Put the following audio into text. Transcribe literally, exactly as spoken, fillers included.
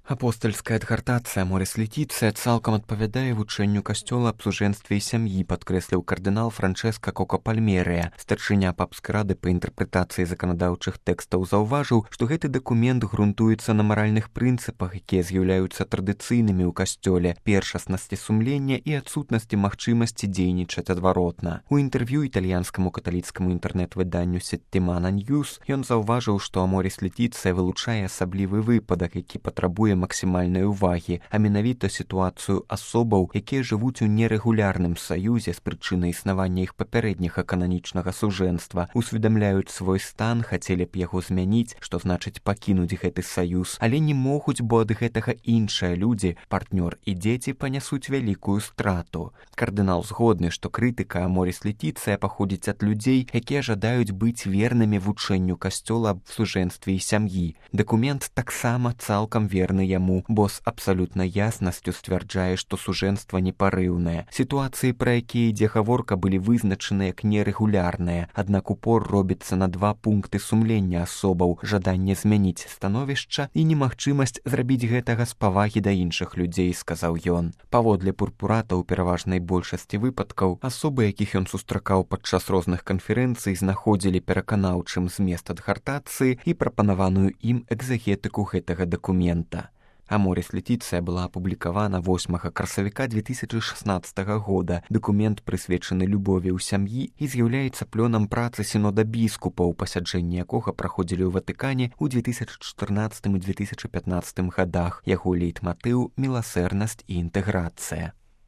Апостальская адгартацыя Моріс Летіцыя цалкам адпавядае вучэнню касцёла аб сужэнстве і сям'і, падкрэсліў кардынал Франчэска Кока-Пальмерыя. Старшыня папскай рады па інтэрпрэтацыі заканадаўчых тэкстаў заўважыў, што гэты дакумент грунтуецца на маральных прынцыпах, якія з'яўляюцца традыцыйнымі ў касцёле, першаснасці сумлення і адсутнасці магчымасці дзейнічаць адваротна. У інтэрв'ю італьянскаму каталіцкаму інтэрнэт-выданню Сеттымана Ньюс ён заўважыў, што Моріс Летіцыя вылучае асаблівы выпадак, які патрабуе максімальнай увагі, а менавіта сітуацыю асобаў, якія жывуць у нерэгулярным саюзе з прычыны існавання іх папярэдняга кананічнага сужэнства, усведамляюць свой стан, хацелі б яго змяніць, што значыць пакінуць гэты саюз, але не могуць, бо ад гэтага іншыя людзі, партнёр і дзеці панясуць вялікую страту. Кардынал згодны, што крытыка Моріс Летіцыя паходзіць ад людзей, якія жадаюць быць вернымі вучэнню касцёла аб сужэнстве і сям'і. Дакумент таксама цалкам верны яму, бо з абсалютнай яснасцю сцвярджае, што сужэнства непарыўнае. Сітуацыі, пра якія ідзе гаворка, былі вызначаны як нерэгулярныя, аднак упор робіцца на два пункты сумлення асобаў: жаданне змяніць становішча і немагчымасць зрабіць гэтага з павагі да іншых людзей, сказаў ён. Паводле Пурпурата, у пераважнай большасці выпадкаў асобы, якіх ён сустракаў падчас розных канферэнцый, знаходзілі пераканаўчым змест адгартацыі і прапанаваную ім экзагетыку гэтага дакумента. А Моріс Летіцыя была апублікавана восьмага красавіка две тысячы шаснаццатага года. Дакумент прысвечаны любові ў сям'і і з'яўляецца плёнам працы сінода біскупаў, пасяджэнні якога праходзілі ў Ватыкане ў две тысячы чатырнаццатым і две тысячы пятнаццатым гадах. Яго лейтматыў — міласэрнасць і інтэграцыя.